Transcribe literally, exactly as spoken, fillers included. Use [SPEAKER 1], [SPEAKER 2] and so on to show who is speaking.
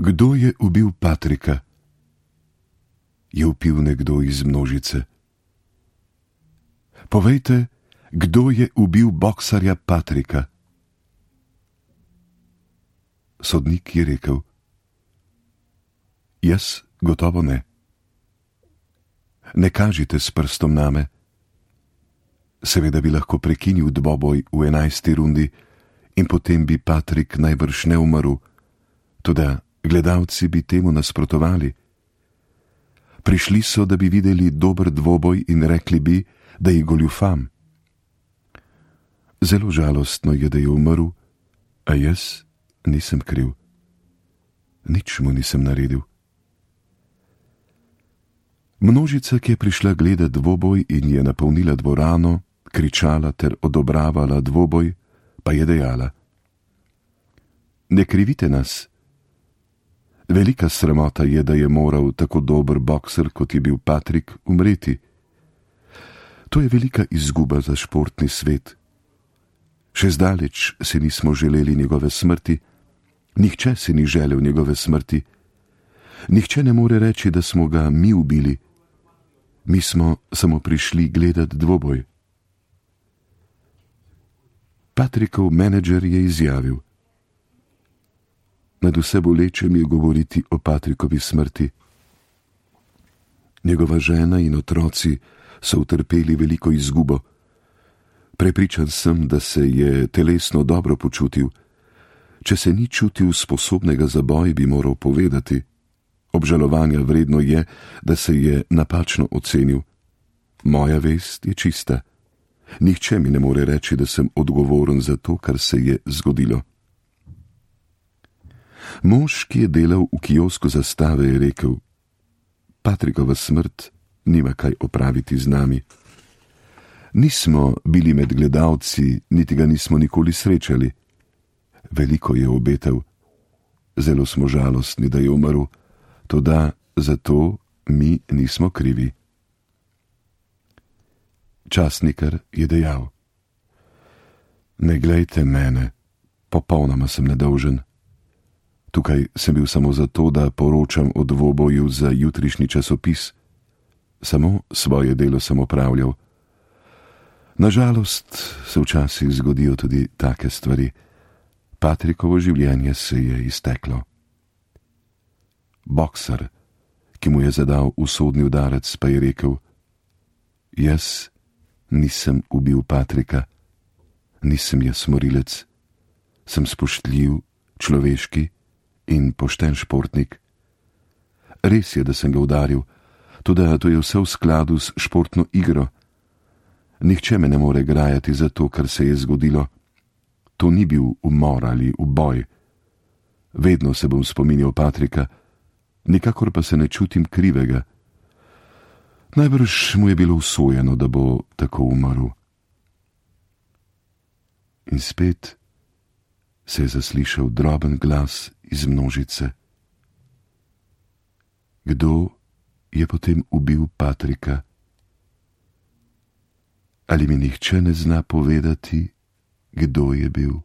[SPEAKER 1] Kdo je ubil Patrika? Je vpil nekdo iz množice. Povejte, kdo je ubil boksarja Patrika? Sodnik je rekel: Jaz gotovo ne. Ne kažite s prstom name. Seveda bi lahko prekinil dvoboj v enajsti rundi in potem bi Patrik najbrž ne umrl, toda gledalci bi temu nasprotovali. Prišli so, da bi videli dober dvoboj in rekli bi, da je goljufam. Zelo žalostno je, da je umrl, a jaz nisem kriv. Nič mu nisem naredil. Množica, ki je prišla gledat dvoboj in je napolnila dvorano, kričala ter odobravala dvoboj, pa je dejala: Ne krivite nas. Velika sramota je, da je moral tako dober bokser, kot je bil Patrik, umreti. To je velika izguba za športni svet. Še zdaleč si nismo želeli njegove smrti, nihče si ni želel njegove smrti. Nihče ne more reči, da smo ga mi ubili. Mi smo samo prišli gledat dvoboj. Patrikov menedžer je izjavil: Nad vse boleče mi je govoriti o Patrikovi smrti. Njegova žena in otroci so utrpeli veliko izgubo. Prepričan sem, da se je telesno dobro počutil. Če se ni čutil sposobnega za boj, bi moral povedati. Obžalovanja vredno je, da se je napačno ocenil. Moja vest je čista. Nihče mi ne more reči, da sem odgovoren za to, kar se je zgodilo. Mož, ki je delal v kiosku Zastave, je rekel: Patrikova smrt nima kaj opraviti z nami. Nismo bili med gledalci, niti ga nismo nikoli srečali. Veliko je obetal. Zelo smo žalostni, da je umrl, toda zato mi nismo krivi. Časnikar je dejal: Ne glejte mene, popolnoma sem nedolžen. Tukaj sem bil samo zato, da poročam o dvoboju za jutrišnji časopis. Samo svoje delo sem opravljal. Nažalost se včasih zgodijo tudi take stvari. Patrikovo življenje se je izteklo. Boksar, ki mu je zadal usodni udarec, pa je rekel: Jaz nisem ubil Patrika, nisem jaz morilec, sem spoštljiv, človeški in pošten športnik. Res je, da sem ga udaril, toda to je vse v skladu s športno igro. Nihče me ne more grajati za to, kar se je zgodilo. To ni bil umor ali uboj. Vedno se bom spominjal Patrika, nikakor pa se ne čutim krivega. Najbrž mu je bilo usojeno, da bo tako umrl. In spet se je zaslišal droben glas iz množice. Kdo je potem ubil Patrika? Ali mi nihče ne zna povedati, kdo je bil?